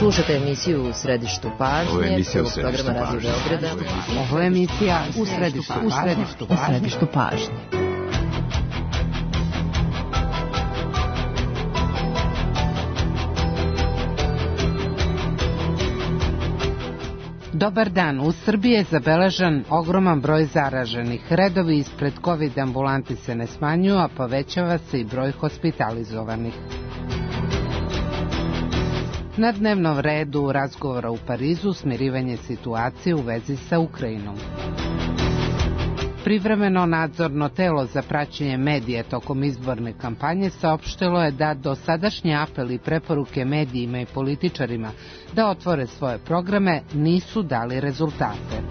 Slušate emisiju U središtu pažnje. Ovo je emisija U središtu pažnje. Ovo je emisija U središtu pažnje. Dobar dan. U Srbiji je zabeležen ogroman broj zaraženih. Redovi ispred COVID ambulanti se ne smanjuju, a povećava se i broj hospitalizovanih. Na dnevnom redu razgovora u Parizu smirivanje situacije u vezi sa Ukrajinom. Privremeno nadzorno telo za praćenje medija tokom izborne kampanje saopštilo je da dosadašnji apeli i preporuke medijima i političarima da otvore svoje programe nisu dali rezultate.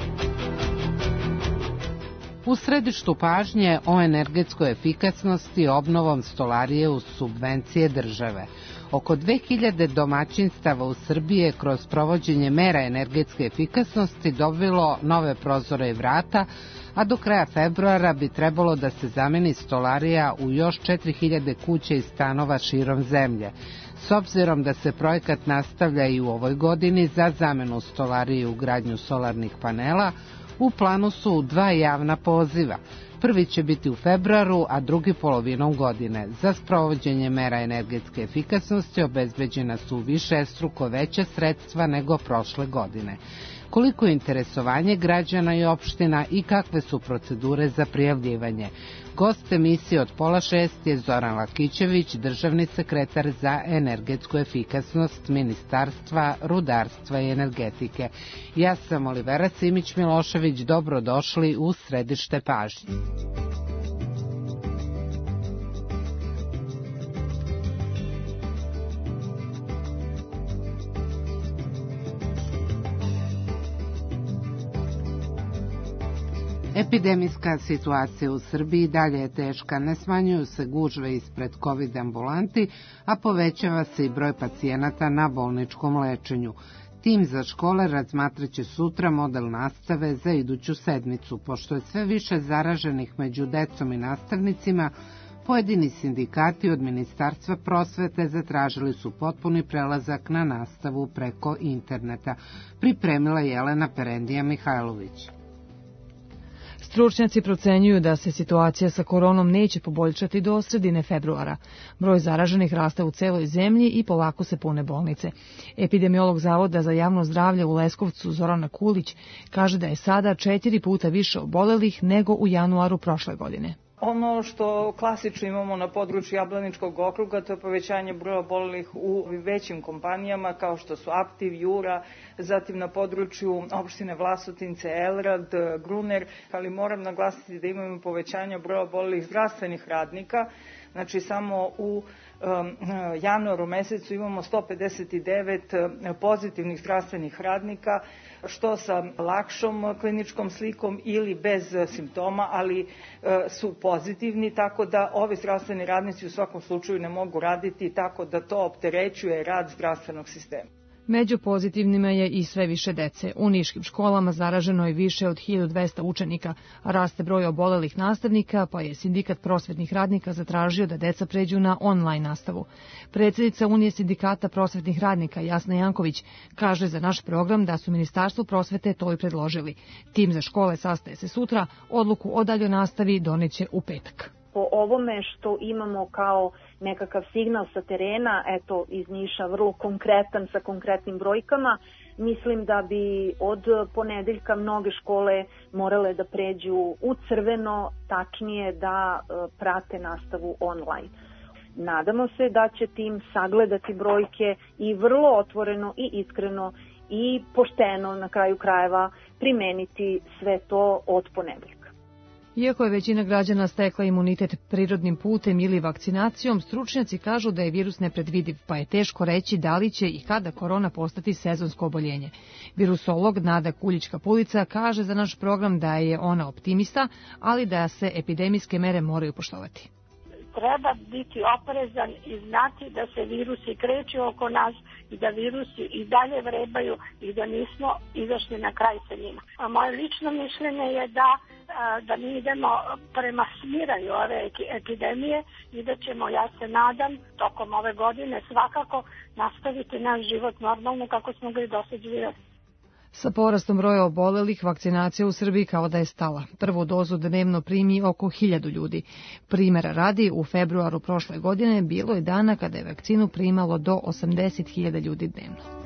U središtu pažnje o energetskoj efikasnosti obnovom stolarije uz subvencije države. Oko 2000 domaćinstava u Srbiji je kroz provođenje mera energetske efikasnosti dobilo nove prozore i vrata, a do kraja februara bi trebalo da se zameni stolarija u još 4000 kuća i stanova širom zemlje. S obzirom da se projekat nastavlja i u ovoj godini za zamenu stolarije i ugradnju solarnih panela, u planu su 2 javna poziva. Prvi će biti u februaru, a drugi polovinom godine. Za sprovođenje mera energetske efikasnosti obezbeđena su višestruko veća sredstva nego prošle godine. Koliko je interesovanje građana i opština i kakve su procedure za prijavljivanje? Gost emisije od 5:30 je Zoran Lakićević, državni sekretar za energetsku efikasnost Ministarstva rudarstva i energetike. Ja sam Olivera Simić-Milošević, dobrodošli u središte pažnje. Epidemijska situacija u Srbiji dalje je teška, ne smanjuju se gužve ispred COVID ambulanti, a povećava se i broj pacijenata na bolničkom lečenju. Tim za škole razmatraće sutra model nastave za iduću sedmicu. Pošto je sve više zaraženih među decom i nastavnicima, pojedini sindikati od Ministarstva prosvete zatražili su potpuni prelazak na nastavu preko interneta. Pripremila Jelena Perendija-Mihajlović. Stručnjaci procenjuju da se situacija sa koronom neće poboljšati do sredine februara. Broj zaraženih raste u celoj zemlji i polako se pune bolnice. Epidemiolog Zavoda za javno zdravlje u Leskovcu Zorana Kulić kaže da je sada 4 puta više obolelih nego u januaru prošle godine. Ono što klasično imamo na području Jablaničkog okruga, to je povećanje broja obolelih u većim kompanijama kao što su Aptiv, Jura, zatim na području opštine Vlasotince, Elrad, Gruner, ali moram naglasiti da imamo povećanje broja obolelih zdravstvenih radnika. Znači samo u januaru mesecu imamo 159 pozitivnih zdravstvenih radnika, što sa lakšom kliničkom slikom ili bez simptoma, ali su pozitivni, tako da ovi zdravstveni radnici u svakom slučaju ne mogu raditi, tako da to opterećuje rad zdravstvenog sistema. Među pozitivnima je i sve više dece. U niškim školama zaraženo je više od 1200 učenika, a raste broj obolelih nastavnika, pa je sindikat prosvetnih radnika zatražio da deca pređu na online nastavu. Predsjednica Unije sindikata prosvetnih radnika Jasna Janković kaže za naš program da su Ministarstvu prosvete to i predložili. Tim za škole sastaje se sutra, odluku o daljoj nastavi doneće u petak. Po ovome što imamo kao nekakav signal sa terena, eto iz Niša vrlo konkretan sa konkretnim brojkama, mislim da bi od ponedeljka mnoge škole morale da pređu u crveno, tačnije da prate nastavu online. Nadamo se da će tim sagledati brojke i vrlo otvoreno i iskreno i pošteno na kraju krajeva primeniti sve to od ponedeljka. Iako je većina građana stekla imunitet prirodnim putem ili vakcinacijom, stručnjaci kažu da je virus nepredvidiv, pa je teško reći da li će i kada korona postati sezonsko oboljenje. Virusolog Nada Kuljička-Pulica kaže za naš program da je ona optimista, ali da se epidemijske mere moraju poštovati. treba biti oprezan i znati da se virusi kreću oko nas i da virusi i dalje vrebaju i da nismo izašli na kraj sa njima. A moje lično mišljenje je da mi idemo prema smiranju ove epidemije i da ćemo, ja se nadam, tokom ove godine svakako nastaviti naš život normalno kako smo ga i dosad živjeli. Sa porastom broja obolelih, vakcinacija u Srbiji kao da je stala. Prvu dozu dnevno primi oko 1000 ljudi. Primera radi, u februaru prošle godine bilo je dana kada je vakcinu primalo do 80.000 ljudi dnevno.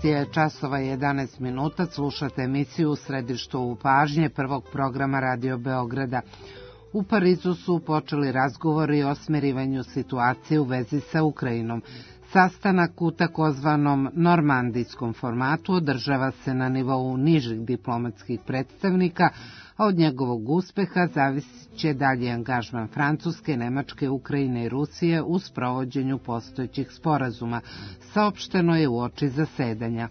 Je časova 11 minuta, slušate emisiju U središtu pažnje prvog programa Radio Beograda. U Parizu su počeli razgovori o smirivanju situacije u vezi sa Ukrajinom. Sastanak u takozvanom normandijskom formatu održava se na nivou nižih diplomatskih predstavnika, a od njegovog uspeha zavisit će dalji angažman Francuske, Nemačke, Ukrajine i Rusije u sprovođenju postojećih sporazuma, saopšteno je uoči zasedanja.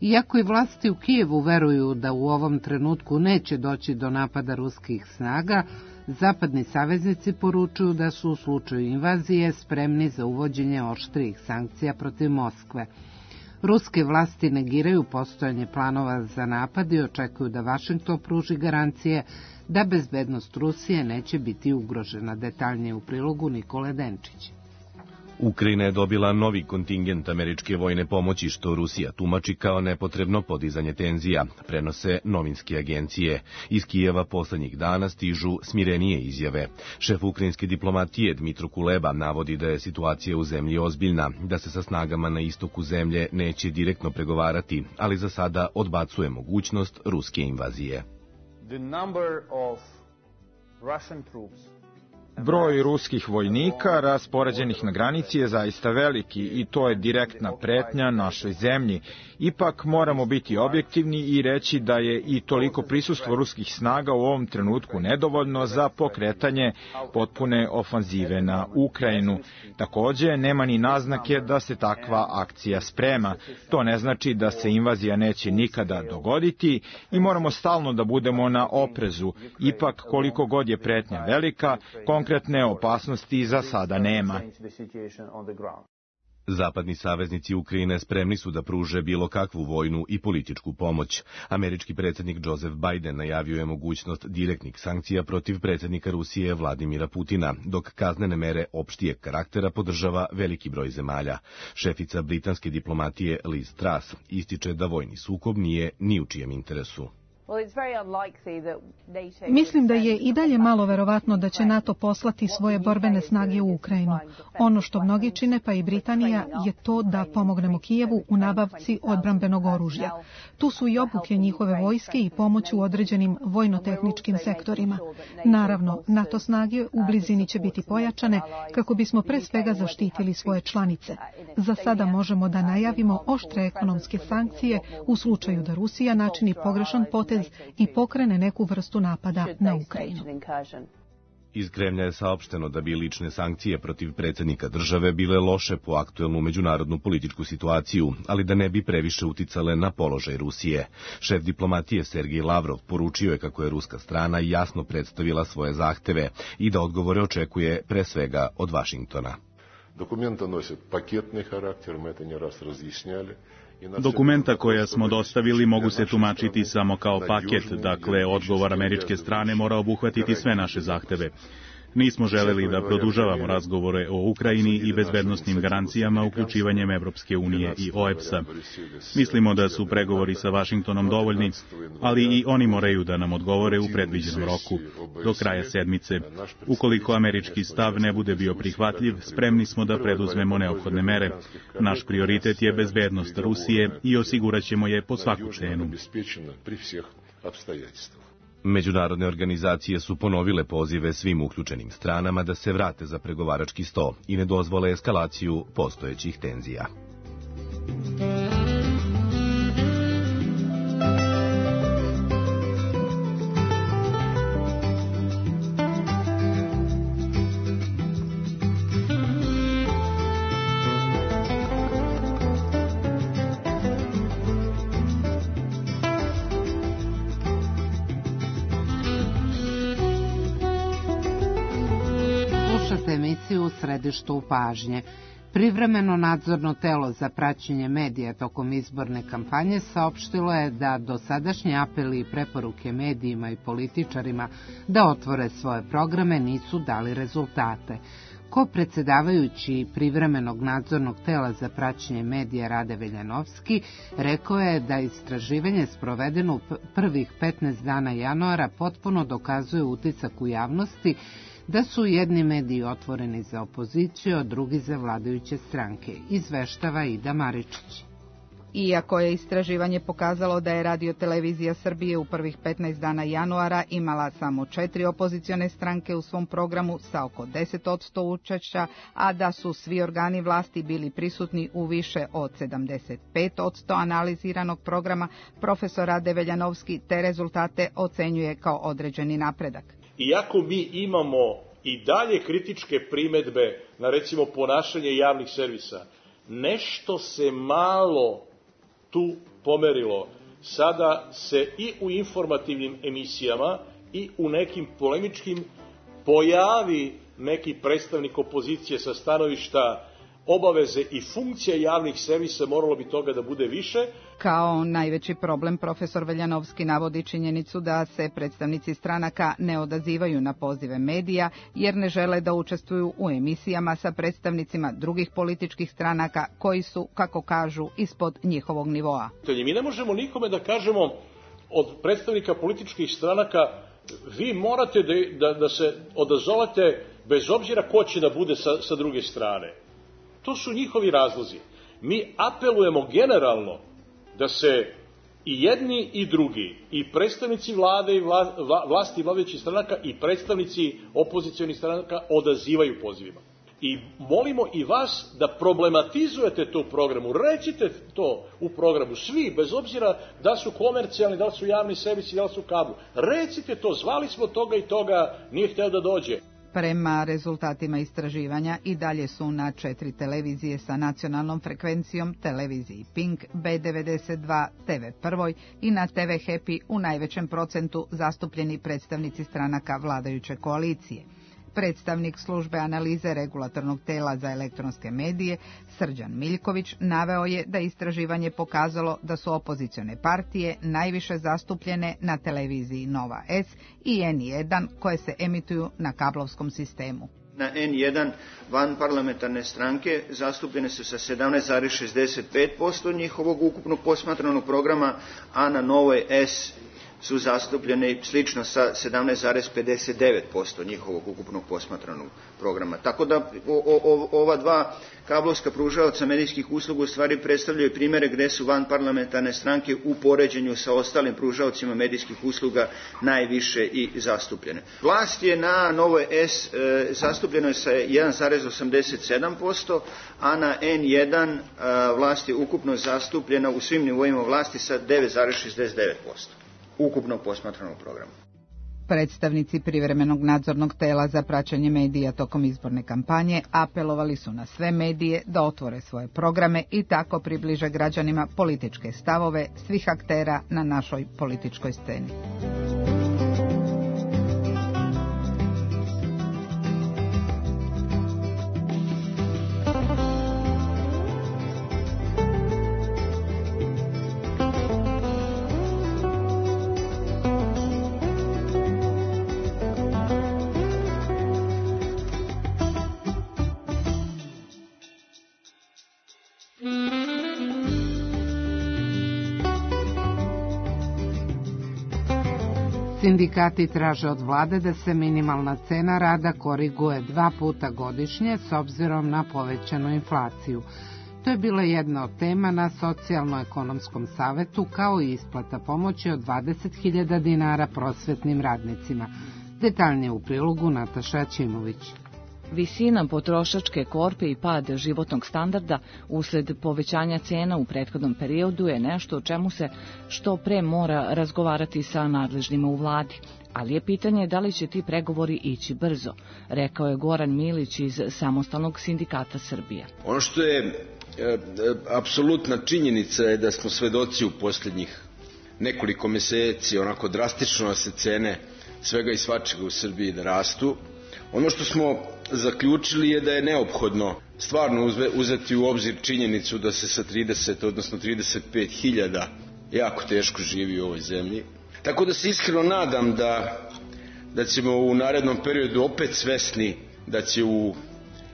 Iako i vlasti u Kijevu veruju da u ovom trenutku neće doći do napada ruskih snaga, zapadni saveznici poručuju da su u slučaju invazije spremni za uvođenje oštrijih sankcija protiv Moskve. Ruske vlasti negiraju postojanje planova za napad i očekuju da Vašington pruži garancije da bezbednost Rusije neće biti ugrožena. Detaljnije u prilogu Nikole Denčić. Ukrajina je dobila novi kontingent američke vojne pomoći, što Rusija tumači kao nepotrebno podizanje tenzija, prenose novinske agencije. Iz Kijeva poslednjih dana stižu smirenije izjave. Šef ukrajinske diplomatije Dmitro Kuleba navodi da je situacija u zemlji ozbiljna, da se sa snagama na istoku zemlje neće direktno pregovarati, ali za sada odbacuje mogućnost ruske invazije. Broj ruskih vojnika raspoređenih na granici je zaista veliki i to je direktna pretnja našoj zemlji. Ipak moramo biti objektivni i reći da je i toliko prisustvo ruskih snaga u ovom trenutku nedovoljno za pokretanje potpune ofanzive na Ukrajinu. Takođe, nema ni naznake da se takva akcija sprema. To ne znači da se invazija neće nikada dogoditi i moramo stalno da budemo na oprezu. Ipak, koliko god je pretnja velika, konkretne opasnosti za sada nema. Zapadni saveznici Ukrajine spremni su da pruže bilo kakvu vojnu i političku pomoć. Američki predsjednik Joseph Biden najavio je mogućnost direktnih sankcija protiv predsjednika Rusije Vladimira Putina, dok kaznene mere opštijeg karaktera podržava veliki broj zemalja. Šefica britanske diplomatije Liz Truss ističe da vojni sukob nije ni u čijem interesu. Mislim da je i dalje malo verovatno da će NATO poslati svoje borbene snage u Ukrajinu. Ono što mnogi čine, pa i Britanija, je to da pomognemo Kijevu u nabavci odbrambenog oružja. Tu su i obuke njihove vojske i pomoć u određenim vojno-tehničkim sektorima. Naravno, NATO snage u blizini će biti pojačane kako bismo pre svega zaštitili svoje članice. Za sada možemo da najavimo oštre ekonomske sankcije u slučaju da Rusija načini pogrešan potez i pokrene neku vrstu napada na Ukrajinu. Iz Kremlja je saopšteno da bi lične sankcije protiv predsjednika države bile loše po aktuelnu međunarodnu političku situaciju, ali da ne bi previše uticale na položaj Rusije. Šef diplomatije Sergej Lavrov poručio je kako je ruska strana jasno predstavila svoje zahteve i da odgovore očekuje pre svega od Vašingtona. Dokumenta nose paketni karakter, mi to ne raz razjasnjali. Dokumenta koja smo dostavili mogu se tumačiti samo kao paket, dakle odgovor američke strane mora obuhvatiti sve naše zahteve. Nismo želeli da produžavamo razgovore o Ukrajini i bezbednosnim garancijama uključivanjem Evropske unije i OEBS-a. Mislimo da su pregovori sa Vašingtonom dovoljni, ali i oni moraju da nam odgovore u predviđenom roku, do kraja sedmice. Ukoliko američki stav ne bude bio prihvatljiv, spremni smo da preduzmemo neophodne mere. Naš prioritet je bezbednost Rusije i osiguraćemo je po svaku cenu. Međunarodne organizacije su ponovile pozive svim uključenim stranama da se vrate za pregovarački sto i ne dozvole eskalaciju postojećih tenzija. emisiju U središtu pažnje. Privremeno nadzorno telo za praćenje medija tokom izborne kampanje saopštilo je da dosadašnji apeli i preporuke medijima i političarima da otvore svoje programe nisu dali rezultate. Ko-predsedavajući privremenog nadzornog tela za praćenje medija Rade Veljanovski rekao je da istraživanje sprovedeno u prvih 15 dana januara potpuno dokazuje utisak u javnosti da su jedni mediji otvoreni za opoziciju, a drugi za vladajuće stranke, izveštava Ida Maričić. Iako je istraživanje pokazalo da je Radio-televizija Srbije u prvih 15 dana januara imala samo 4 opozicione stranke u svom programu sa oko 10% učešća, a da su svi organi vlasti bili prisutni u više od 75% analiziranog programa, profesor Rade Veljanovski te rezultate ocenjuje kao određeni napredak. Iako mi imamo i dalje kritičke primedbe na recimo ponašanje javnih servisa, nešto se malo tu pomerilo. Sada se i u informativnim emisijama i u nekim polemičkim pojavi neki predstavnik opozicije sa stanovišta obaveze i funkcija javnih servisa, moralo bi toga da bude više. Kao najveći problem profesor Veljanovski navodi činjenicu da se predstavnici stranaka ne odazivaju na pozive medija jer ne žele da učestvuju u emisijama sa predstavnicima drugih političkih stranaka koji su, kako kažu, ispod njihovog nivoa. Mi ne možemo nikome da kažemo od predstavnika političkih stranaka vi morate da se odazovete bez obzira ko će da bude sa druge strane. To su njihovi razlozi. Mi apelujemo generalno da se i jedni i drugi, i predstavnici vlade i vlasti vladajućih stranaka i predstavnici opozicionih stranaka odazivaju pozivima. I molimo i vas da problematizujete to u programu, recite to u programu, svi, bez obzira da su komercijalni, da li su javni servisi, da li su kablu. Recite to, zvali smo toga i toga, nije hteo da dođe. Prema rezultatima istraživanja i dalje su na 4 televizije sa nacionalnom frekvencijom, televiziji Pink, B92, TV Prvoj i na TV Happy u najvećem procentu zastupljeni predstavnici stranaka vladajuće koalicije. Predstavnik službe analize regulatornog tela za elektronske medije, Srđan Miljković, naveo je da istraživanje pokazalo da su opozicione partije najviše zastupljene na televiziji Nova S i N1 koje se emituju na kablovskom sistemu. Na N1 vanparlamentarne stranke zastupljene su sa 17,65% njihovog ukupnog posmatranog programa, a na Novoj S su zastupljene slično sa 17,59% njihovog ukupnog posmatranog programa. Tako da ova dva kablovska pružaoca medijskih usluga u stvari predstavljaju primere gde su vanparlamentarne stranke u poređenju sa ostalim pružaocima medijskih usluga najviše i zastupljene. Vlast je na Novoj S zastupljeno je sa 1,87%, a na N1 vlast je ukupno zastupljena u svim nivoima vlasti sa 9,69%. Ukupnog posmatranog programa. Predstavnici privremenog nadzornog tela za praćenje medija tokom izborne kampanje apelovali su na sve medije da otvore svoje programe i tako približe građanima političke stavove svih aktera na našoj političkoj sceni. Sindikati traže od vlade da se minimalna cena rada koriguje 2 puta godišnje s obzirom na povećanu inflaciju. To je bila jedna od tema na Socijalno-ekonomskom savetu, kao i isplata pomoći od 20.000 dinara prosvetnim radnicima. Detaljnije u prilogu Nataša Ćimović. Visina potrošačke korpe i pad životnog standarda usled povećanja cena u prethodnom periodu je nešto o čemu se što pre mora razgovarati sa nadležnima u vladi. Ali je pitanje da li će ti pregovori ići brzo, rekao je Goran Milić iz Samostalnog sindikata Srbije. Ono što je apsolutna činjenica je da smo svedoci u posljednjih nekoliko meseci onako drastično se cene svega i svačega u Srbiji da rastu. Ono što smo zaključili je da je neophodno stvarno uzeti u obzir činjenicu da se sa 30, odnosno 35.000 jako teško živi u ovoj zemlji. Tako da se iskreno nadam da ćemo u narednom periodu opet svesni da će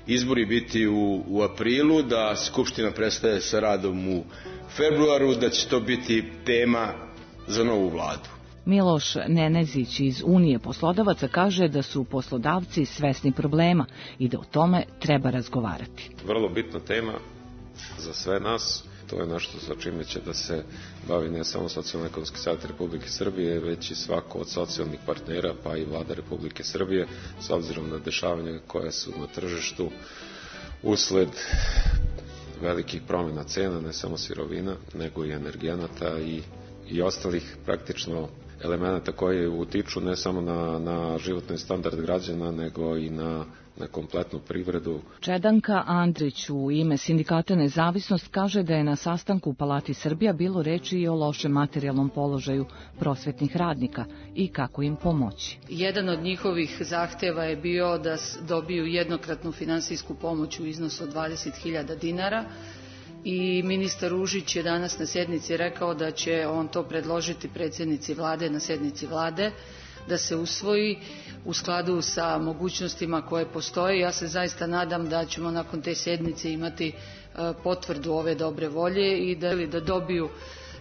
izbori biti u aprilu, da Skupština prestaje sa radom u februaru, da će to biti tema za novu vladu. Miloš Nenezić iz Unije poslodavaca kaže da su poslodavci svesni problema i da o tome treba razgovarati. Vrlo bitna tema za sve nas. To je nešto sa čime će da se bavi ne samo Socijalno-ekonomski savet Republike Srbije, već i svako od socijalnih partnera, pa i vlada Republike Srbije, s obzirom na dešavanja koja su na tržištu usled velikih promjena cena, ne samo sirovina, nego i energenata i ostalih praktično elemenata koji utiču ne samo na životni standard građana, nego i na kompletnu privredu. Čedanka Andrić u ime Sindikata Nezavisnost kaže da je na sastanku u Palati Srbija bilo reči i o lošem materijalnom položaju prosvetnih radnika i kako im pomoći. Jedan od njihovih zahteva je bio da dobiju jednokratnu finansijsku pomoć u iznosu od 20.000 dinara i ministar Ružić je danas na sjednici rekao da će on to predložiti predsjednici vlade na sjednici vlade, da se usvoji u skladu sa mogućnostima koje postoje. Ja se zaista nadam da ćemo nakon te sjednice imati potvrdu ove dobre volje i da dobiju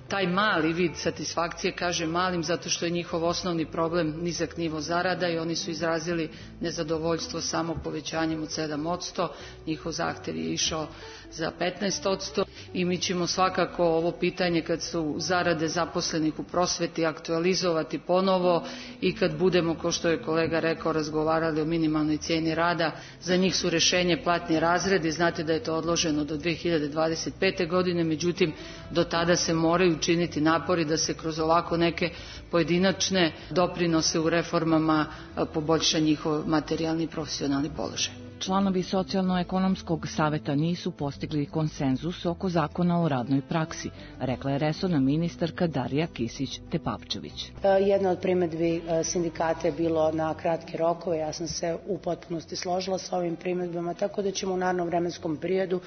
taj mali vid satisfakcije, kaže malim, zato što je njihov osnovni problem nizak nivo zarada i oni su izrazili nezadovoljstvo samo povećanjem od 7%, njihov zahtjev je išao za 15% i mi ćemo svakako ovo pitanje kad su zarade zaposlenih u prosveti aktualizovati ponovo i kad budemo, kao što je kolega rekao, razgovarali o minimalnoj cijeni rada. Za njih su rješenje platni razredi, znate da je to odloženo do 2025. godine, međutim do tada se moraju činiti napori da se kroz ovako neke pojedinačne doprinose u reformama poboljša njihov materijalni i profesionalni položaj. Članovi Socijalno-ekonomskog saveta nisu postigli konsenzus oko zakona o radnoj praksi, rekla je resorna ministarka Darija Kisić-Tepavčević. Jedna od primjedbi sindikata je bilo na kratke rokove, ja sam se u potpunosti složila sa ovim primjedbama, tako da ćemo u narednom vremenskom periodu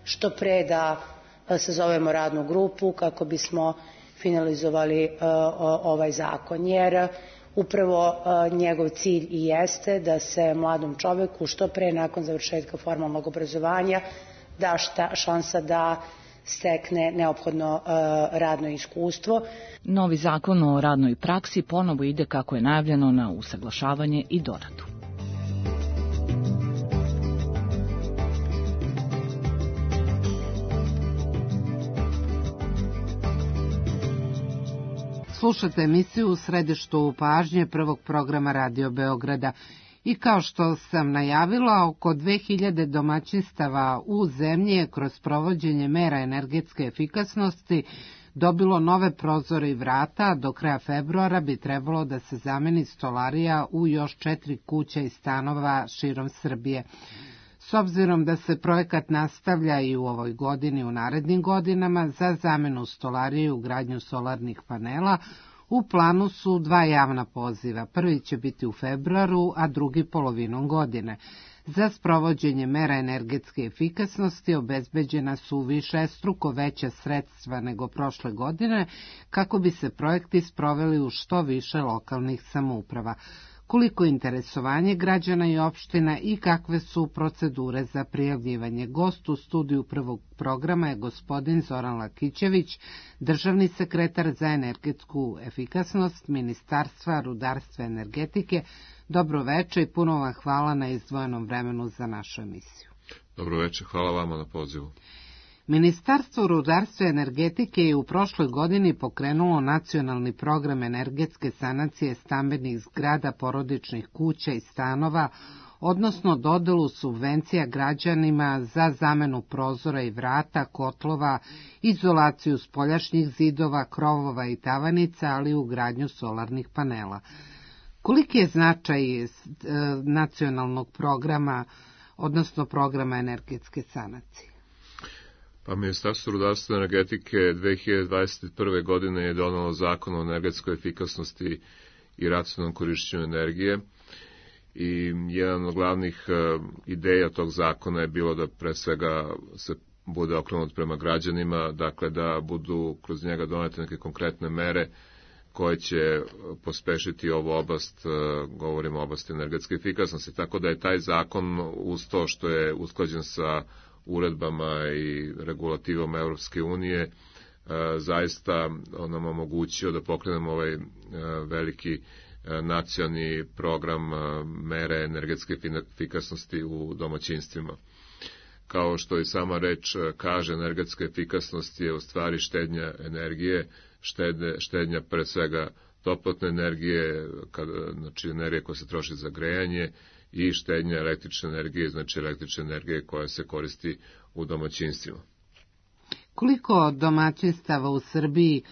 što pre da sazovemo radnu grupu kako bismo finalizovali ovaj zakon, jer upravo njegov cilj i jeste da se mladom čoveku što pre nakon završetka formalnog obrazovanja da šansa da stekne neophodno radno iskustvo. Novi zakon o radnoj praksi ponovo ide, kako je najavljeno, na usaglašavanje i doradu. Slušate emisiju U središtu pažnje prvog programa Radio Beograda i kao što sam najavila, oko 2000 domaćinstava u zemlji je kroz provođenje mera energetske efikasnosti dobilo nove prozore i vrata. Do kraja februara bi trebalo da se zameni stolarija u još 4 kuće i stanova širom Srbije. S obzirom da se projekat nastavlja i u ovoj godini i u narednim godinama za zamenu stolarije i ugradnju solarnih panela, u planu su 2 javna poziva. Prvi će biti u februaru, a drugi polovinom godine. Za sprovođenje mera energetske efikasnosti obezbeđena su višestruko veća sredstva nego prošle godine, kako bi se projekti sproveli u što više lokalnih samouprava. Koliko interesovanje građana i opština i kakve su procedure za prijavljivanje? Gost u studiju prvog programa je gospodin Zoran Lakićević, državni sekretar za energetsku efikasnost Ministarstva rudarstva i energetike. Dobro večer i puno vam hvala na izdvojenom vremenu za našu emisiju. Dobro večer, hvala vama na pozivu. Ministarstvo rudarstva i energetike je u prošloj godini pokrenulo nacionalni program energetske sanacije stambenih zgrada, porodičnih kuća i stanova, odnosno dodelu subvencija građanima za zamenu prozora i vrata, kotlova, izolaciju spoljašnjih zidova, krovova i tavanica, ali i ugradnju solarnih panela. Koliki je značaj nacionalnog programa, odnosno programa energetske sanacije? Pa Ministarstvo rudarstva i energetike 2021. godine je donelo zakon o energetskoj efikasnosti i racionalnom korišćenju energije i jedan od glavnih ideja tog zakona je bilo da pre svega se bude okrenut prema građanima, dakle da budu kroz njega donete neke konkretne mere koje će pospešiti ovu oblast, govorimo o oblasti energetske efikasnosti, tako da je taj zakon uz to što je usklađen sa uredbama i regulativama Europske unije, zaista nam omogućio da pokrenemo ovaj veliki nacionalni program mere energetske efikasnosti u domaćinstvima. Kao što i sama reč kaže, energetska efikasnost je u stvari štednja energije, štednja pre svega toplotne energije, znači energije koja se troši za grejanje, i štednja električne energije, znači električne energije koja se koristi u domaćinstvima. Koliko domaćinstava u Srbiji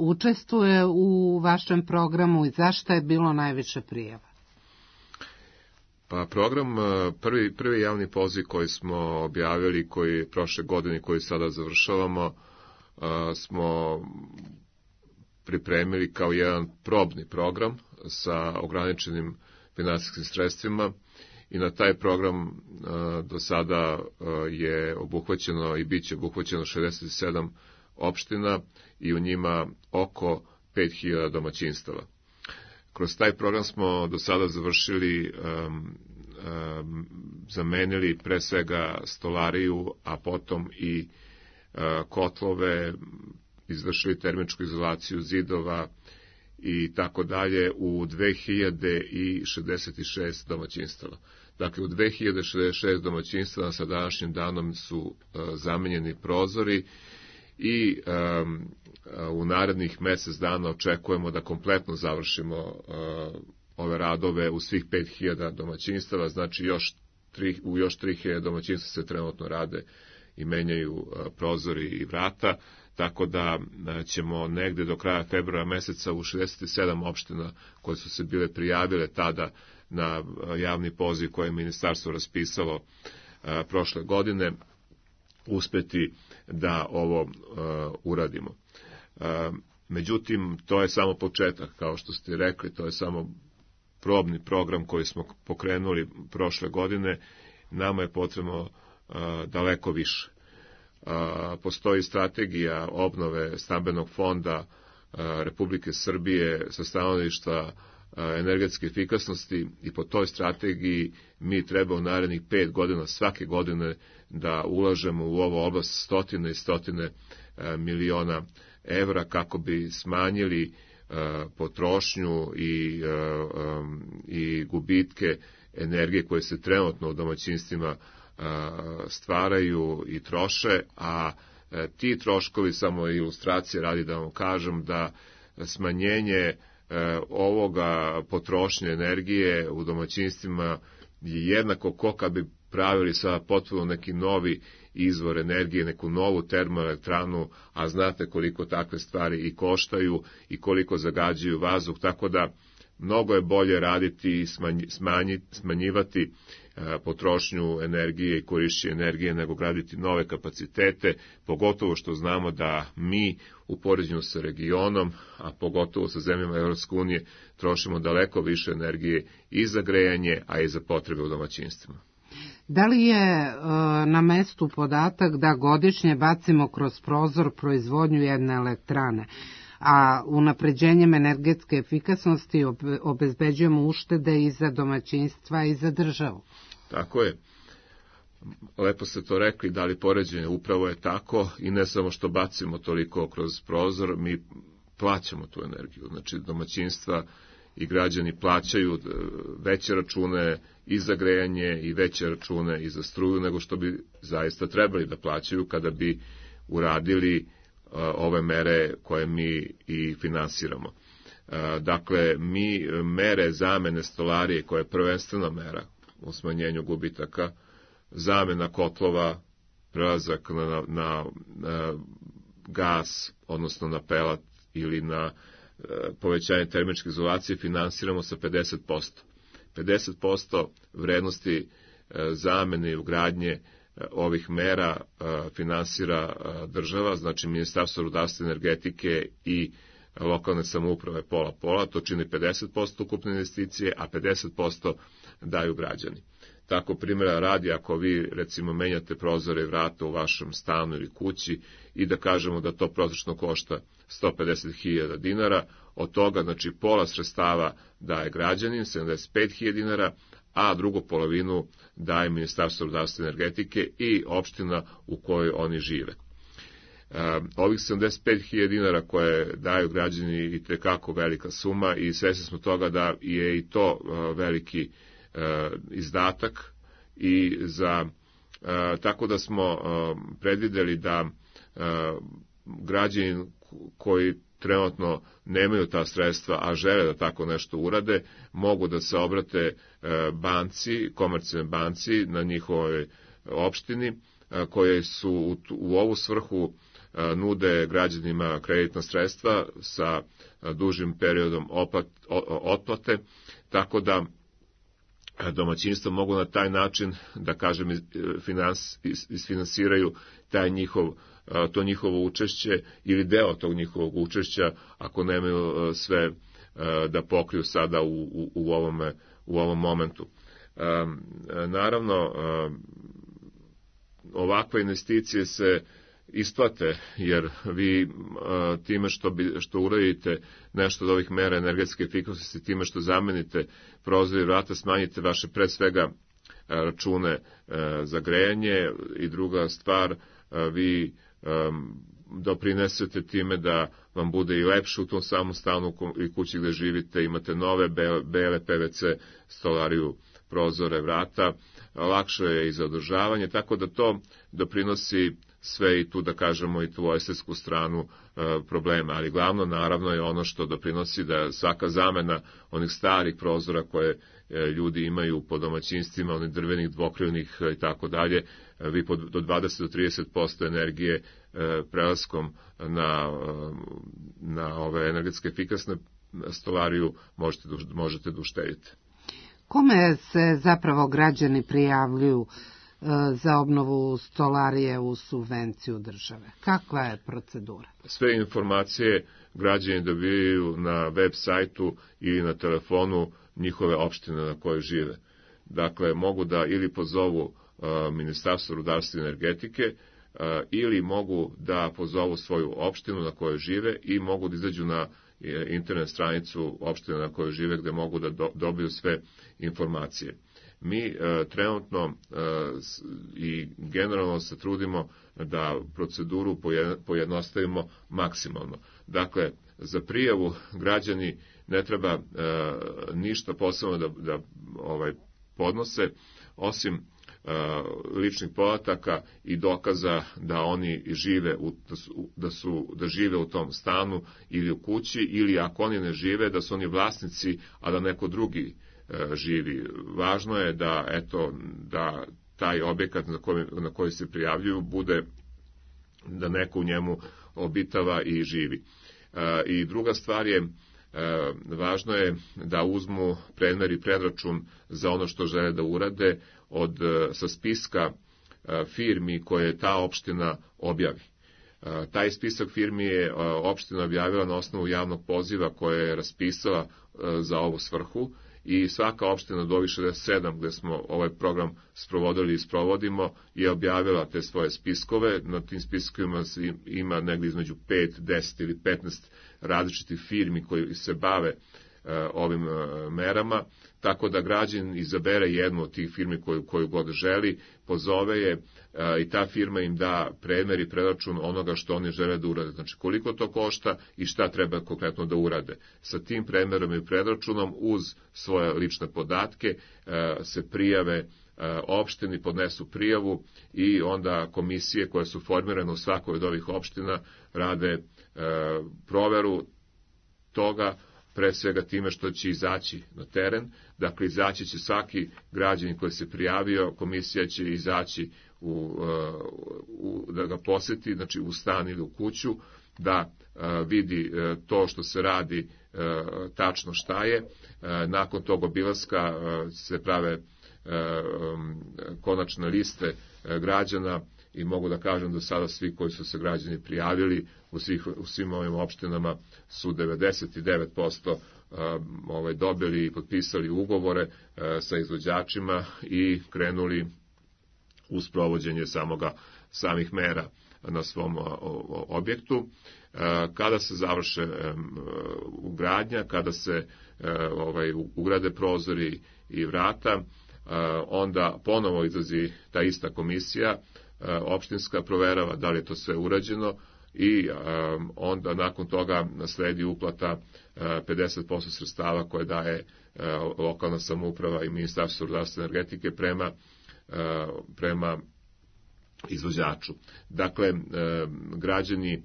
učestvuje u vašem programu i zašto je bilo najviše prijava? Pa program, prvi javni poziv koji smo objavili, koji prošle godine, koji sada završavamo, smo pripremili kao jedan probni program sa ograničenim finansijskim sredstvima i na taj program do sada je obuhvaćeno i bit će obuhvaćeno 67 opština i u njima oko 5000 domaćinstava. Kroz taj program smo do sada završili, zamenili pre svega stolariju, a potom i kotlove, izvršili termičku izolaciju zidova i tako dalje u 2066 domaćinstava. Dakle, u 2066 domaćinstava sa današnjim danom su zamenjeni prozori i u narednih mesec dana očekujemo da kompletno završimo ove radove u svih 5000 domaćinstava, znači u još 3000 domaćinstva se trenutno rade i menjaju prozori i vrata, tako da ćemo negde do kraja februara meseca u 67 opština koje su se bile prijavile tada na javni poziv koje je ministarstvo raspisalo prošle godine, uspeti da ovo uradimo. Međutim, to je samo početak, kao što ste rekli, to je samo probni program koji smo pokrenuli prošle godine, nama je potrebno daleko više. Postoji strategija obnove stambenog fonda Republike Srbije sa stanovišta energetske efikasnosti i po toj strategiji mi treba u narednih 5 godina svake godine da ulažemo u ovu oblast stotine i stotine miliona evra kako bi smanjili potrošnju i gubitke energije koje se trenutno u domaćinstvima stvaraju i troše, a ti troškovi, samo ilustracije radi da vam kažem, da smanjenje ovoga potrošnje energije u domaćinstvima je jednako ko kad bi pravili sada potpuno neki novi izvor energije, neku novu termoelektranu, a znate koliko takve stvari i koštaju i koliko zagađuju vazduh, tako da mnogo je bolje raditi i smanjivati potrošnju energije i korišćenje energije nego graditi nove kapacitete, pogotovo što znamo da mi u poređenju sa regionom, a pogotovo sa zemljama Evropske unije, trošimo daleko više energije i za grejanje, a i za potrebe u domaćinstvima. Da li je na mestu podatak da godišnje bacimo kroz prozor proizvodnju jedne elektrane, a unapređenjem energetske efikasnosti obezbeđujemo uštede i za domaćinstva i za državu? Tako je. Lepo ste to rekli, da li poređenje upravo je tako i ne samo što bacimo toliko kroz prozor, mi plaćamo tu energiju. Znači domaćinstva i građani plaćaju veće račune i za grejanje i veće račune i za struju nego što bi zaista trebali da plaćaju kada bi uradili ove mere koje mi i finansiramo. Dakle, mi mere zamene stolarije, koja je prvenstvena mera u smanjenju gubitaka, zamena kotlova, prelazak na gas, odnosno na pelat ili na povećanje termičke izolacije, finansiramo sa 50%. 50% vrednosti zamene i ugradnje ovih mera finansira država, znači Ministarstvo rudarstva i energetike i lokalne samouprave pola-pola, to čini 50% ukupne investicije, a 50% daju građani. Tako primjera radi, ako vi recimo menjate prozore i vrata u vašem stanu ili kući i da kažemo da to prosečno košta 150.000 dinara, od toga znači pola sredstava daje građanin, 75.000 dinara, a drugu polovinu daje Ministarstvo rudarstva i energetike i opština u kojoj oni žive. Ovih 75.000 dinara koje daju građani i tekako velika suma i svesni smo toga da je i to veliki izdatak i tako da smo predvideli da građani koji trenutno nemaju ta sredstva, a žele da tako nešto urade, mogu da se obrate banci, komercijalnoj banci na njihovoj opštini, koje su u ovu svrhu nude građanima kreditna sredstva sa dužim periodom otplate, tako da domaćinstva mogu na taj način, da kažem, isfinansiraju to njihovo učešće ili deo tog njihovog učešća, ako nemaju sve da pokriju sada u ovom momentu. Naravno, ovakve investicije se isplate, jer vi time što uradite nešto od ovih mera energetske efikasnosti, time što zamenite prozore i vrata, smanjite vaše pre svega račune za grejanje i druga stvar, vi doprinesete time da vam bude i lepše u tom samom stanu i kući gde živite, imate nove bele PVC stolariju, prozore, vrata, lakše je i za održavanje, tako da to doprinosi sve i tu, da kažemo, i tu estetsku stranu problema, ali glavno naravno je ono što doprinosi da svaka zamena onih starih prozora koje ljudi imaju po domaćinstvima, onih drvenih, dvokrivnih i tako dalje, vi do 20 do 30% energije prelaskom na ove energetske efikasne stolariju možete da uštedite. Kome se zapravo građani prijavljuju za obnovu stolarije u subvenciju države? Kakva je procedura? Sve informacije građani dobijaju na web sajtu ili na telefonu njihove opštine na kojoj žive. Dakle, mogu da ili pozovu Ministarstvo rudarstva i energetike ili mogu da pozovu svoju opštinu na kojoj žive i mogu da izađu na internet stranicu opštine na kojoj žive gde mogu da dobiju sve informacije. Mi trenutno i generalno se trudimo da proceduru pojednostavimo maksimalno. Dakle, za prijavu građani ne treba ništa posebno da podnose, osim ličnih podataka i dokaza da oni žive da žive u tom stanu ili u kući, ili ako oni ne žive da su oni vlasnici, a da neko drugi živi. Važno je da taj objekat na koji se prijavljuju bude da neko u njemu obitava i živi. I druga stvar je, važno je da uzmu predmer i predračun za ono što žele da urade sa spiska firmi koje ta opština objavi. Taj spisak firmi je opština objavila na osnovu javnog poziva koje je raspisala za ovu svrhu i svaka opština od ovih 67 gde smo ovaj program sprovodili i sprovodimo je objavila te svoje spiskove. Na tim spiskovima ima negdje između 5, 10 ili 15 različitih firmi koji se bave ovim merama, tako da građan izabere jednu od tih firmi koju god želi, pozove je i ta firma im da premer i preračun onoga što oni žele da urade. Znači koliko to košta i šta treba konkretno da urade. Sa tim premerom i preračunom uz svoje lične podatke se prijave opštini, podnesu prijavu i onda komisije koje su formirane u svakoj od ovih opština rade proveru toga, pre svega time što će izaći na teren. Dakle, izaći će svaki građanin koji se prijavio, komisija će izaći da ga poseti, znači u stan ili u kuću, da vidi to što se radi tačno šta je. Nakon tog obilaska se prave konačne liste građana i mogu da kažem da sada svi koji su se građani prijavili u svim ovim opštinama su 99% dobili i potpisali ugovore sa izvođačima i krenuli u sprovođenje samih mera na svom objektu. Kada se završe ugradnja, kada se ugrade prozori i vrata, onda ponovo izlazi ta ista komisija opštinska, proverava da li je to sve urađeno i onda nakon toga sledi uplata 50% sredstava koje daje lokalna samouprava i Ministarstvo rudarstva i energetike prema izvođaču. Dakle, građani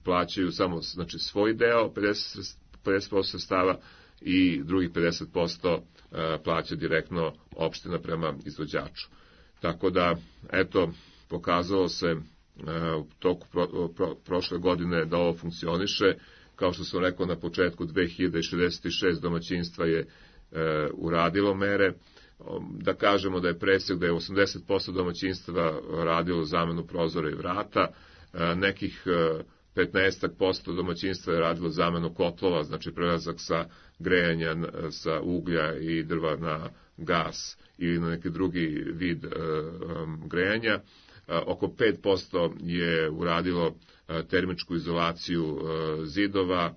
plaćaju samo svoj deo, 50% sredstava, i drugih 50% plaća direktno opština prema izvođaču. Tako da, eto, pokazalo se u toku prošle godine da ovo funkcioniše. Kao što sam rekao na početku, 2066 domaćinstva je uradilo mere. Da kažemo da je presek da je 80% domaćinstva radilo zamenu prozora i vrata, nekih 15% domaćinstva je radilo zamenu kotlova, znači prelazak sa grejanja sa uglja i drva na gas ili na neki drugi vid grejanja. Oko 5% je uradilo termičku izolaciju zidova,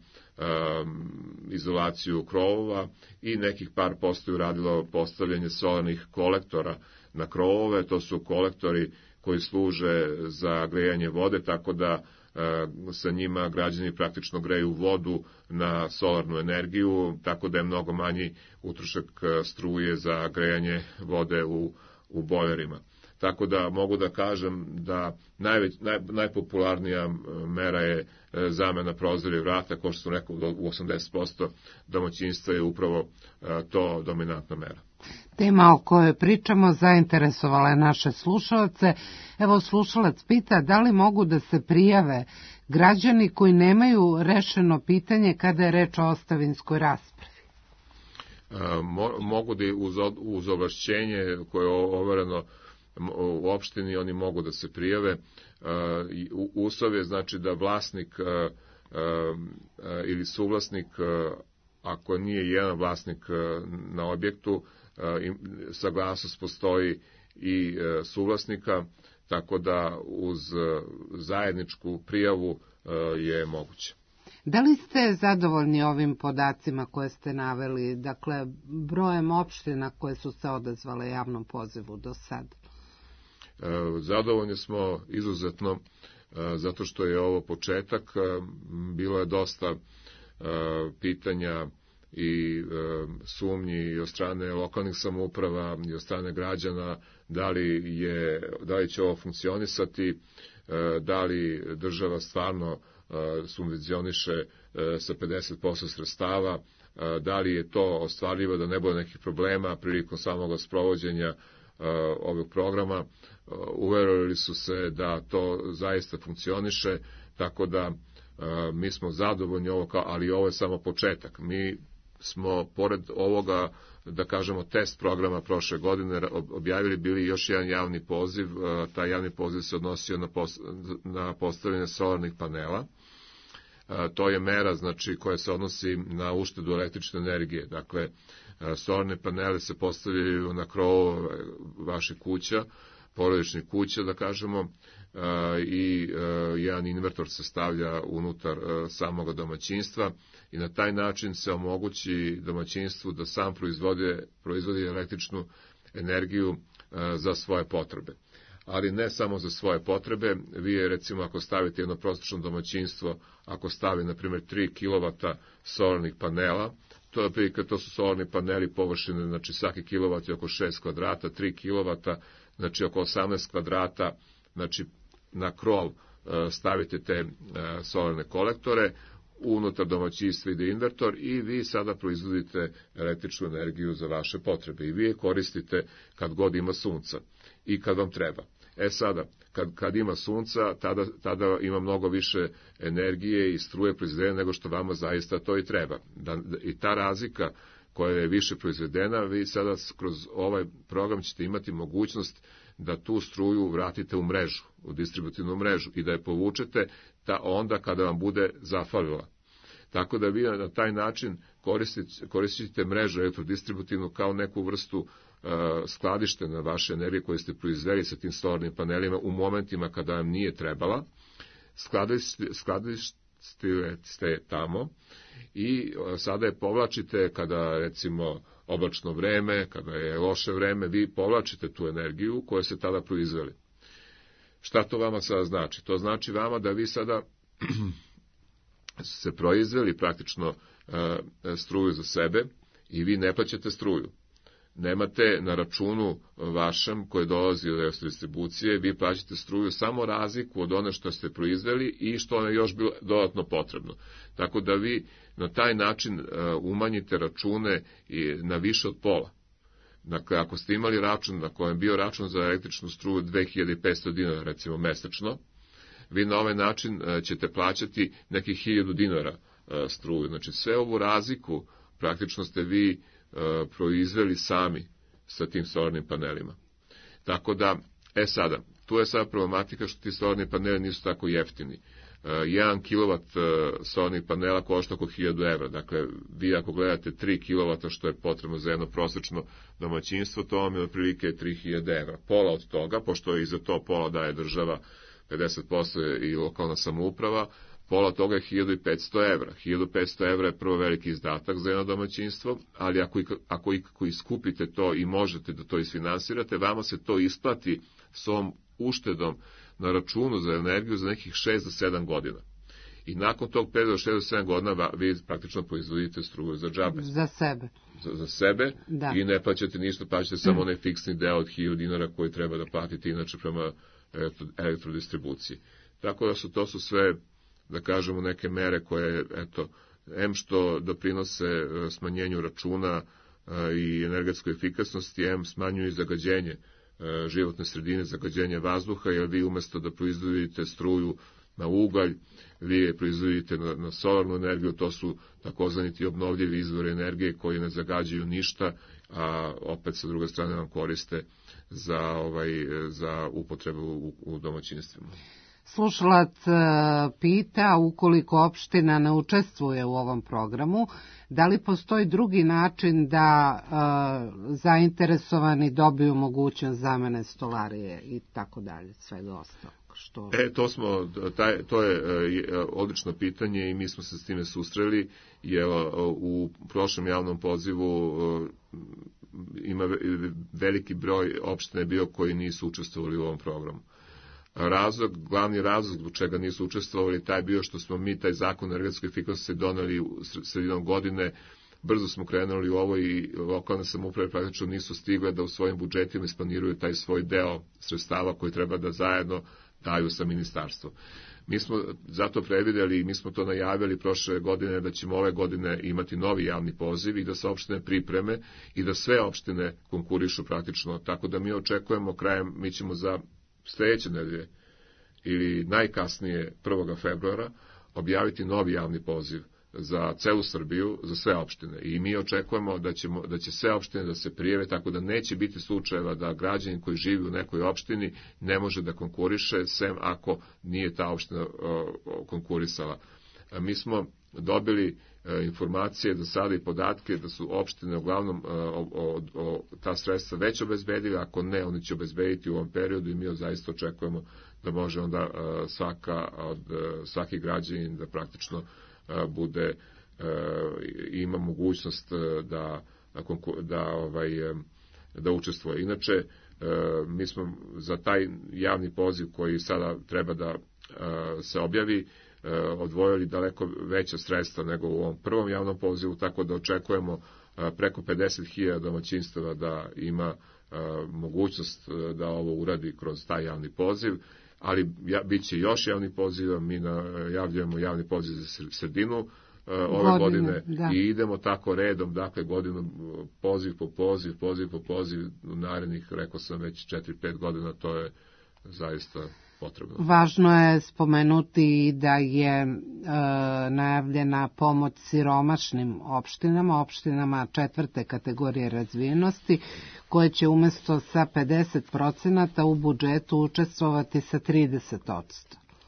izolaciju krovova i nekih par posto je uradilo postavljanje solarnih kolektora na krovove. To su kolektori koji služe za grejanje vode, tako da sa njima građani praktično greju vodu na solarnu energiju, tako da je mnogo manji utrošak struje za grejanje vode u bojlerima. Tako da mogu da kažem da najpopularnija mera je zamena prozora i vrata, kao što sam rekao, u 80% domaćinstva je upravo to dominantna mera. Tema o kojoj pričamo zainteresovala je naše slušalce. Evo, slušalac pita da li mogu da se prijave građani koji nemaju rešeno pitanje kada je reč o ostavinskoj raspravi. Mogu da uz ovlašćenje koje je overeno u opštini, oni mogu da se prijave. Uslov je znači da vlasnik ili suvlasnik, ako nije jedan vlasnik na objektu, saglasnost postoji i suvlasnika, tako da uz zajedničku prijavu je moguće. Da li ste zadovoljni ovim podacima koje ste naveli, dakle brojem opština koje su se odazvale javnom pozivu do sad? Zadovoljni smo izuzetno, zato što je ovo početak. Bilo je dosta pitanja i sumnji i od strane lokalnih samouprava i od strane građana da li će ovo funkcionisati, da li država stvarno subvencioniše sa 50% sredstava, da li je to ostvarljivo da ne bude nekih problema prilikom samog sprovođenja ovog programa. Uverili su se da to zaista funkcioniše, tako da mi smo zadovoljni ali ovo je samo početak. Mi smo pored ovoga, da kažemo, test programa prošle godine objavili bili još jedan javni poziv. Taj javni poziv se odnosio na postavljanje solarnih panela. To je mera, znači, koja se odnosi na uštedu električne energije. Dakle, solarne panele se postavljaju na krovove vaših kuća, porodičnih kuća, da kažemo, i jedan invertor se stavlja unutar samog domaćinstva i na taj način se omogući domaćinstvu da sam proizvodi električnu energiju za svoje potrebe. Ali ne samo za svoje potrebe. Vi, recimo, ako stavite jedno prosečno domaćinstvo, ako stavi, na primjer, 3 kW solarnih panela, to su solarni paneli površine, znači svaki kilovat je oko 6 kvadrata, 3 kW, znači oko 18 kvadrata, znači na krov stavite te solarne kolektore, unutar domaćinstva ide invertor i vi sada proizvodite električnu energiju za vaše potrebe i vi je koristite kad god ima sunca i kad vam treba. Sada, kad ima sunca, tada ima mnogo više energije i struje proizvedene nego što vama zaista to i treba. I ta razlika koja je više proizvedena, vi sada kroz ovaj program ćete imati mogućnost da tu struju vratite u mrežu, u distributivnu mrežu i da je povučete onda kada vam bude zafalila. Tako da vi na taj način koristite mrežu elektrodistributivnu kao neku vrstu skladište na vaše energije koje ste proizveli sa tim solarnim panelima u momentima kada vam nije trebala, skladištite tamo i sada je povlačite kada recimo oblačno vreme, kada je loše vreme, vi povlačite tu energiju koju ste tada proizveli. Šta to vama sada znači? To znači vama da vi sada se proizveli praktično struju za sebe i vi ne plaćate struju. Nemate na računu vašem koji dolazi od elektrodistribucije, vi plaćate struju samo razliku od one što ste proizveli i što vam je još bilo dodatno potrebno. Tako da vi na taj način umanjite račune na više od pola. Dakle, ako ste imali račun na kojem je bio račun za električnu struju 2500 dinara, recimo mesečno, vi na ovaj način ćete plaćati nekih 1000 dinara struju. Znači, sve ovu razliku praktično ste vi proizveli sami sa tim solarnim panelima. Tako da, sada, tu je sada problematika što ti solarni paneli nisu tako jeftini. 1 kW solarnih panela košta oko 1000 evra. Dakle, vi ako gledate 3 kW što je potrebno za jedno prosečno domaćinstvo, to vam je otprilike 3000 evra. Pola od toga, pošto i za to pola daje država 50% i lokalna samouprava, pola toga je 1500 evra. 1500 evra je prvo veliki izdatak za jedno domaćinstvo, ali ako iskupite to i možete da to isfinansirate, vama se to isplati s ovom uštedom na računu za energiju za nekih 6 do 7 godina. I nakon tog perioda 6 do 7 godina vi praktično proizvodite struju za džabe. Za sebe. Za sebe i ne plaćate ništa, plaćate samo onaj fiksni deo od 1000 dinara koji treba da platite inače prema elektrodistribuciji. Tako da to su sve, da kažemo, neke mere koje, em što doprinose smanjenju računa i energetskoj efikasnosti, em smanjuju zagađenje životne sredine, zagađenje vazduha, jer vi umesto da proizvodite struju na ugalj, vi je proizvodite na solarnu energiju, to su takozvani ti obnovljivi izvori energije koji ne zagađuju ništa, a opet sa druge strane vam koriste za upotrebu u domaćinstvima. Slušalac pita, ukoliko opština ne učestvuje u ovom programu, da li postoji drugi način da zainteresovani dobiju mogućnost zamene stolarije i tako dalje, svega ostalog? To je odlično pitanje i mi smo se s time susreli, jer u prošlom javnom pozivu ima veliki broj opština bio koji nisu učestvovali u ovom programu. Glavni razlog zbog čega nisu učestvovali taj bio što smo mi taj zakon o energetskoj efikasnosti doneli sredinom godine, brzo smo krenuli u ovo i lokalne samouprave praktično nisu stigle da u svojim budžetima isplaniraju taj svoj deo sredstava koji treba da zajedno daju sa ministarstvom. Mi smo zato predvideli i mi smo to najavili prošle godine da ćemo ove godine imati novi javni poziv i da se opštine pripreme i da sve opštine konkurišu praktično, tako da mi očekujemo mi ćemo za sljedeće nedelje ili najkasnije 1. februara objaviti novi javni poziv za celu Srbiju, za sve opštine. I mi očekujemo da će sve opštine da se prijave, tako da neće biti slučajeva da građanin koji živi u nekoj opštini ne može da konkuriše, sem ako nije ta opština konkurisala. Mi smo dobili informacije do sada i podatke da su opštine uglavnom ta sredstva već obezbedili, ako ne, oni će obezbediti u ovom periodu i mi zaista očekujemo da može onda svaki građanin da praktično ima mogućnost da učestvuje. Inače, mi smo za taj javni poziv koji sada treba da se objavi odvojili daleko veća sredstva nego u ovom prvom javnom pozivu, tako da očekujemo preko 50.000 domaćinstava da ima mogućnost da ovo uradi kroz taj javni poziv, ali bit će još javni poziv, mi najavljujemo javni poziv za sredinu ove godine i idemo tako redom, dakle godinu poziv po poziv u narednih, rekao sam već 4-5 godina, to je zaista potrebno. Važno je spomenuti da je najavljena pomoć siromašnim opštinama 4. kategorije razvijenosti, koje će umesto sa 50% u budžetu učestvovati sa 30%.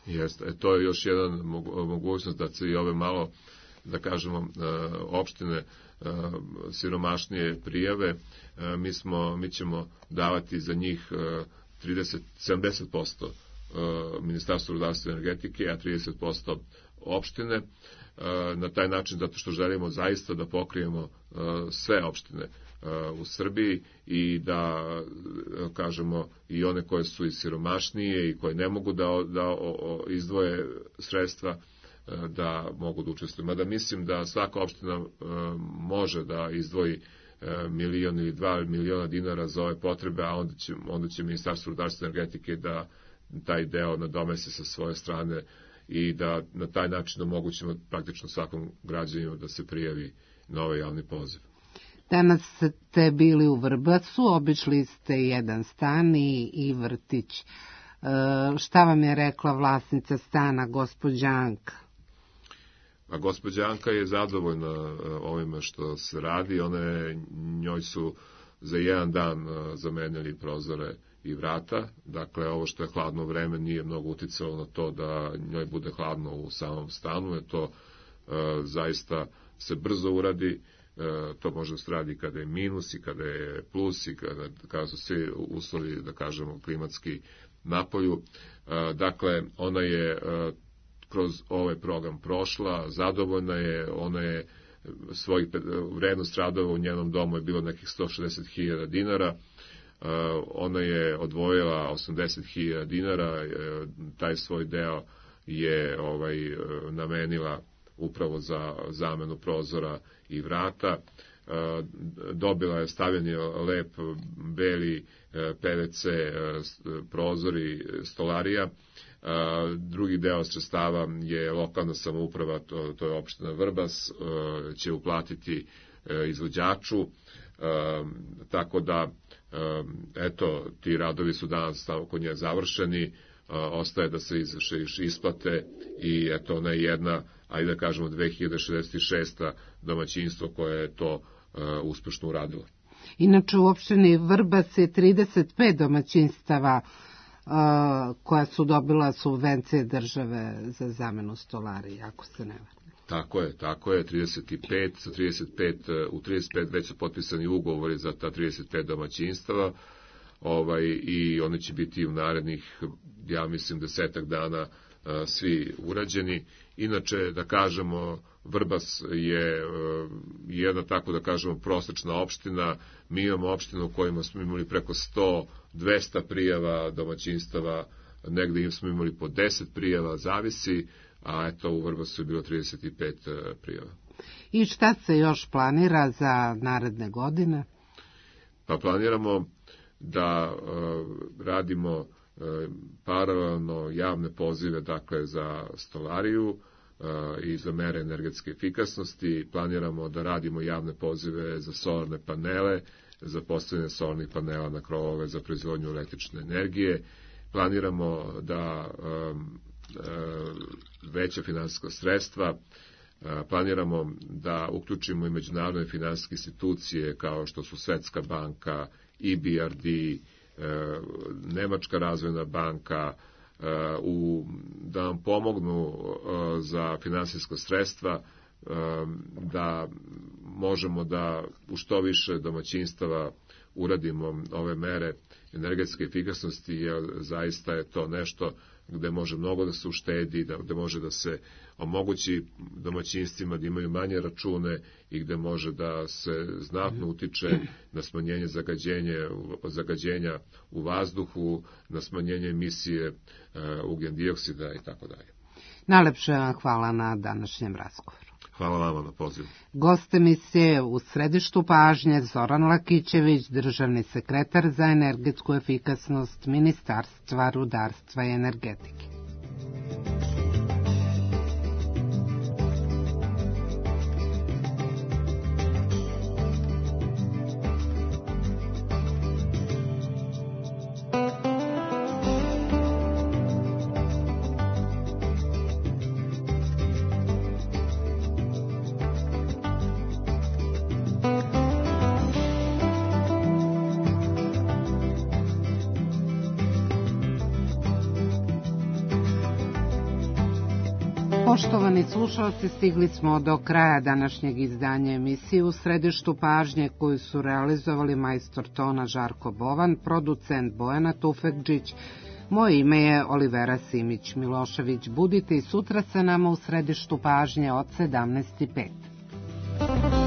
Jeste, to je još jedan mogućnost da se i ove malo, da kažemo, opštine siromašnije prijave. Mi ćemo davati za njih 70% Ministarstvo rudarstva i energetike, a 30% opštine. Na taj način, zato što želimo zaista da pokrijemo sve opštine u Srbiji i da kažemo i one koje su i siromašnije i koje ne mogu da izdvoje sredstva da mogu da učestvuju. Mada mislim da svaka opština može da izdvoji 1 ili 2 miliona dinara za ove potrebe, a onda će Ministarstvo rudarstva i energetike da taj deo nadomesti sa svoje strane i da na taj način omogućimo praktično svakom građaninu da se prijavi na ovaj javni poziv. Danas ste bili u Vrbasu, obišli ste jedan stan i vrtić. Šta vam je rekla vlasnica stana, gospođa Anka? A gospođa Anka je zadovoljna ovime što se radi. Njoj su za jedan dan zamenili prozore i vrata. Dakle, ovo što je hladno vreme nije mnogo uticalo na to da njoj bude hladno u samom stanu, jer to zaista se brzo uradi. To može da se radi kada je minus i kada je plus i kada su svi uslovi, da kažemo, klimatski napolju. Dakle, ona je kroz ovaj program prošla, zadovoljna je, ona je vrednost radova u njenom domu je bilo nekih 160.000 dinara, ona je odvojila 80.000 dinara, taj svoj deo je namenila upravo za zamenu prozora i vrata. Dobila je stavljeni lep beli PVC prozori stolarija. Drugi deo sredstava je lokalna samouprava, to je opština Vrbas, će uplatiti izvođaču, tako da eto, ti radovi su danas kod nje završeni, ostaje da se izvrše isplate i eto, ona je jedna, ajde da kažemo 2066. domaćinstvo koje je to uspešno uradilo. Inače u opštini Vrbas je 35 domaćinstava koja su dobila subvencije države za zamenu stolarija, ako se ne varam. Tako je, 35, u 35 već su potpisani ugovori za ta 35 domaćinstava i one će biti u narednih, ja mislim, 10 dana svi urađeni. Inače, da kažemo, Vrbas je jedna, tako da kažemo, prosečna opština. Mi imamo opštinu u kojima smo imali preko 100-200 prijava domaćinstava, negde smo imali po 10 prijava, zavisi, a eto u Vrbasu je bilo 35 prijava. I šta se još planira za naredne godine? Pa planiramo da radimo paralelno javne pozive, dakle, za stolariju i za mere energetske efikasnosti. Planiramo da radimo javne pozive za solarne panele, za postavljanje solarnih panela na krovove za proizvodnju električne energije. Planiramo da veća finansijska sredstva, planiramo da uključimo i međunarodne finansijske institucije kao što su Svetska banka, EBRD, Nemačka razvojna banka, da nam pomognu za finansijska sredstva, da možemo da u što više domaćinstava uradimo ove mere energetske efikasnosti, jer zaista je to nešto gde može mnogo da se uštedi, gde može da se omogući domaćinstvima da imaju manje račune i gde može da se znatno utiče na smanjenje zagađenja u vazduhu, na smanjenje emisije ugljen-dioksida i tako dalje. Najlepše vam hvala na današnjem razgovoru. Hvala vama na pozivu. Gost emisije u središtu pažnje Zoran Lakićević, državni sekretar za energetsku efikasnost Ministarstva rudarstva i energetike. Poštovani slušalci, stigli smo do kraja današnjeg izdanja emisije U središtu pažnje, koju su realizovali majstor tona Žarko Bovan, producent Bojana Tufekđić. Moje ime je Olivera Simić-Milošević. Budite i sutra sa nama u središtu pažnje od 17:05.